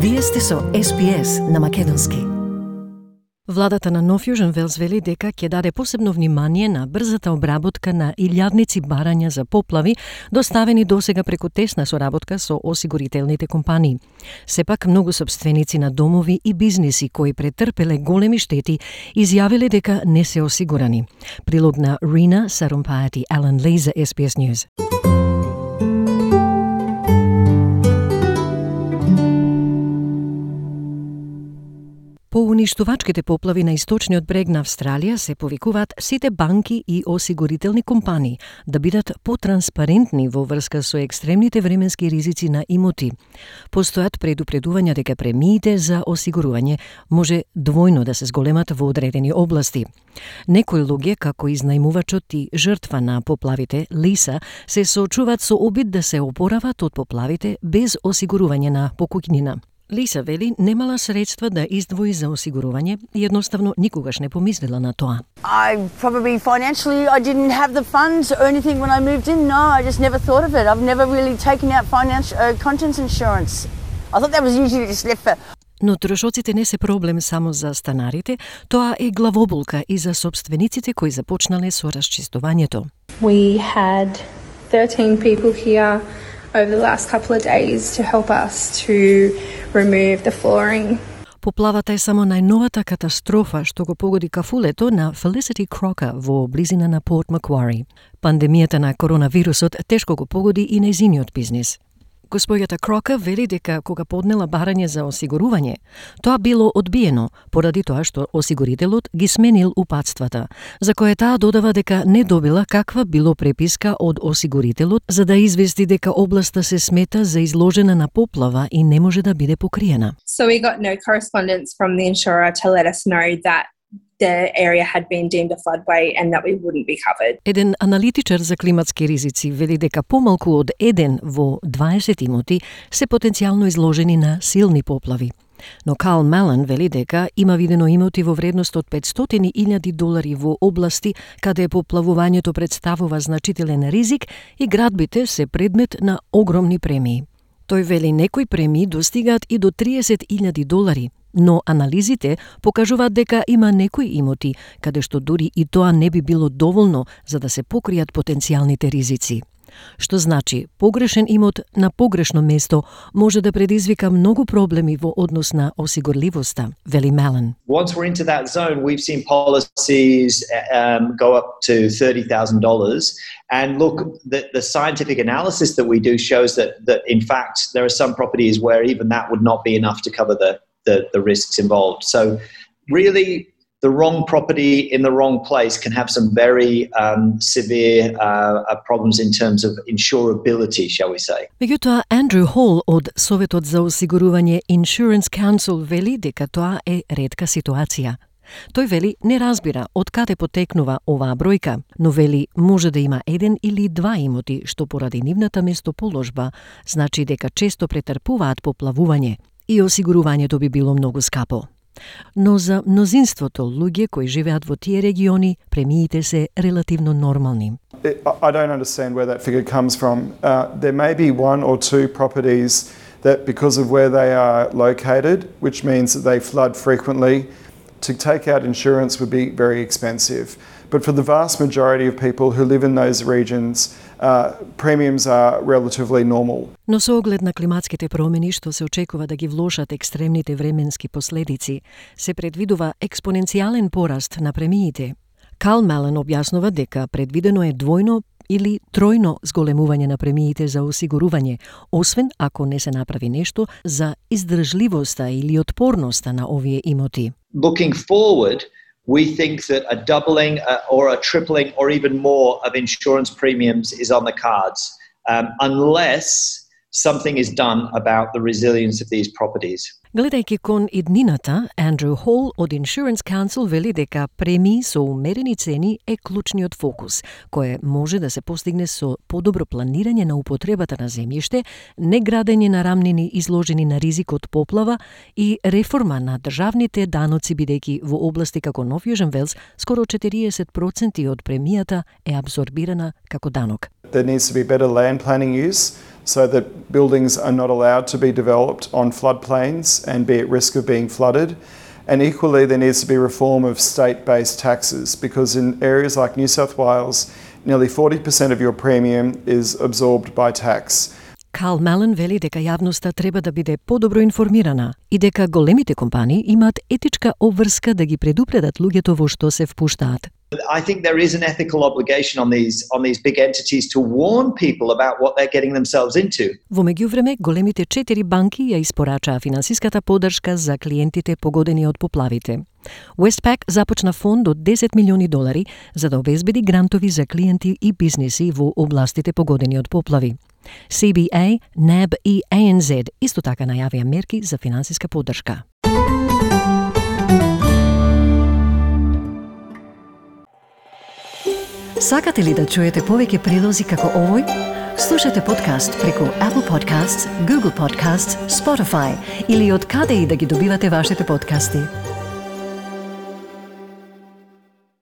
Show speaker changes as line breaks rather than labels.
Вие сте со SPS на македонски. Владата на Нов Јужен Велс вели дека ќе даде посебно внимание на брзата обработка на илјадници барања за поплави, доставени досега преку тесна соработка со осигурителните компании. Сепак, многу собственици на домови и бизниси кои претрпеле големи штети изјавиле дека не се осигурани. Прилог на Рина Сарумпајати Ален Ли за SPS News. По уништувачките поплави на источниот брег на Австралија се повикуваат сите банки и осигурителни компании да бидат потранспарентни во врска со екстремните временски ризици на имоти. Постојат предупредувања дека премиите за осигурување може двојно да се зголемат во одредени области. Некои луѓе, како изнајмувачот и жртва на поплавите, Лиса, се соочуваат со обид да се опорават од поплавите без осигурување на покуќнина. Лиса вели немала средства да издвои за осигурување и едноставно никогаш не помислила на тоа.
I didn't have the funds or anything when I moved in. No, I just never thought of it. I've never really taken out contents insurance. I thought that was usually just left for...
Но трошоците не се проблем само за станарите, тоа е главоболка и за собствениците кои започнале со расчистувањето.
We had 13 people here over the last couple of days to help us to remove the flooring.
Поплавата е само најновата катастрофа што го погоди кафулето на Felicity Crocker во близина на Порт Маквари. Пандемијата на коронавирусот тешко го погоди и нејзиниот бизнис. Господјата Крока вели дека кога поднела барање за осигурување, тоа било одбиено поради тоа што осигурителот ги сменил упатствата, за кое таа додава дека не добила каква било преписка од осигурителот за да извести дека областа се смета за изложена на поплава и не може да биде покриена.
So we got no correspondence from the insurer to let us know that the area had been deemed a floodway and that we wouldn't be covered.
Еден аналитичар за климатски ризици вели дека помалку од 1 во 20 имоти се потенцијално изложени на силни поплави. Но Карл Мален вели дека има видено имоти во вредност од $500,000 во области каде поплавувањето представува значителен ризик и градбите се предмет на огромни премии. Тој вели некои премии достигаат и до $30,000, но анализите покажуваат дека има некои имоти каде што дури и тоа не би било доволно за да се покријат потенцијалните ризици. Што значи, погрешен имот на погрешно место може да предизвика многу проблеми во однос на осигурливоста, вели Мален.
Once we're into that zone, we've seen policies go up to $30,000. And look, the scientific analysis that we do shows that in fact there are some properties where even that would not be enough to cover the risks involved. So really, the wrong property in the wrong place can have some very severe problems in terms of insurability, shall we say.
Меѓутоа, Андрю Хол од Советот за осигурување Insurance Council вели дека тоа е ретка ситуација. Тој вели не разбира од каде потекнува оваа бројка, но вели може да има 1 или 2 имоти што поради нивната местоположба значи дека често претрпуваат поплавување и осигурувањето би било многу скапо. Но за мнозинството луѓе кои живеат во тие региони, премиите се релативно нормални.
I don't understand where that figure comes from. There may be 1 or 2 properties that because of where they are located, which means that they flood frequently, to take out insurance would be very expensive. But for the vast majority of people who live in those regions, premiums are relatively normal.
Но со оглед на климатските промени што се очекува да ги влошат екстремните временски последици, се предвидува експоненцијален пораст на премиите. Карл Мален објаснува дека предвидено е двојно или тројно зголемување на премиите за осигурување, освен ако не се направи нешто за издржливоста или отпорноста на овие имоти.
Looking forward, we think that a doubling or a tripling or even more of insurance premiums is on the cards, unless something is done about the resilience of these properties.
Гледајќи кон иднината, Андрю Хол од Insurance Council вели дека премии со умерени цени е клучниот фокус, кое може да се постигне со подобро планирање на употребата на земјиште, неградење на рамнини изложени на ризик од поплава и реформа на државните даноци, бидејќи во области како Нов Јужен Велс скоро 40% од премијата е абсорбирана како данок.
There needs to be better land planning use. so that buildings are not allowed to be developed on floodplains and be at risk of being flooded. And equally, there needs to be reform of state-based taxes, because in areas like New South Wales, nearly 40% of your premium is absorbed by tax.
Карл Малан вели дека јавноста треба да биде подобро информирана и дека големите компании имаат етичка обврска да ги предупредат луѓето во што се впуштаат.
I think there is an ethical obligation on these big entities to warn people about what they're getting themselves into.
Во меѓувреме, големите 4 банки ја испорачаа финансиската поддршка за клиентите погодени од поплавите. Westpac започна фонд од $10 милиони за да обезбеди грантови за клиенти и бизниси во областите погодени од поплави. CBA, NAB и ANZ исто така најавија мерки за финансиска поддршка. Сакате ли да чуете повеќе прилози како овој? Слушате подкаст преку Apple Podcasts, Google Podcasts, Spotify или од каде и да ги добивате вашите подкасти.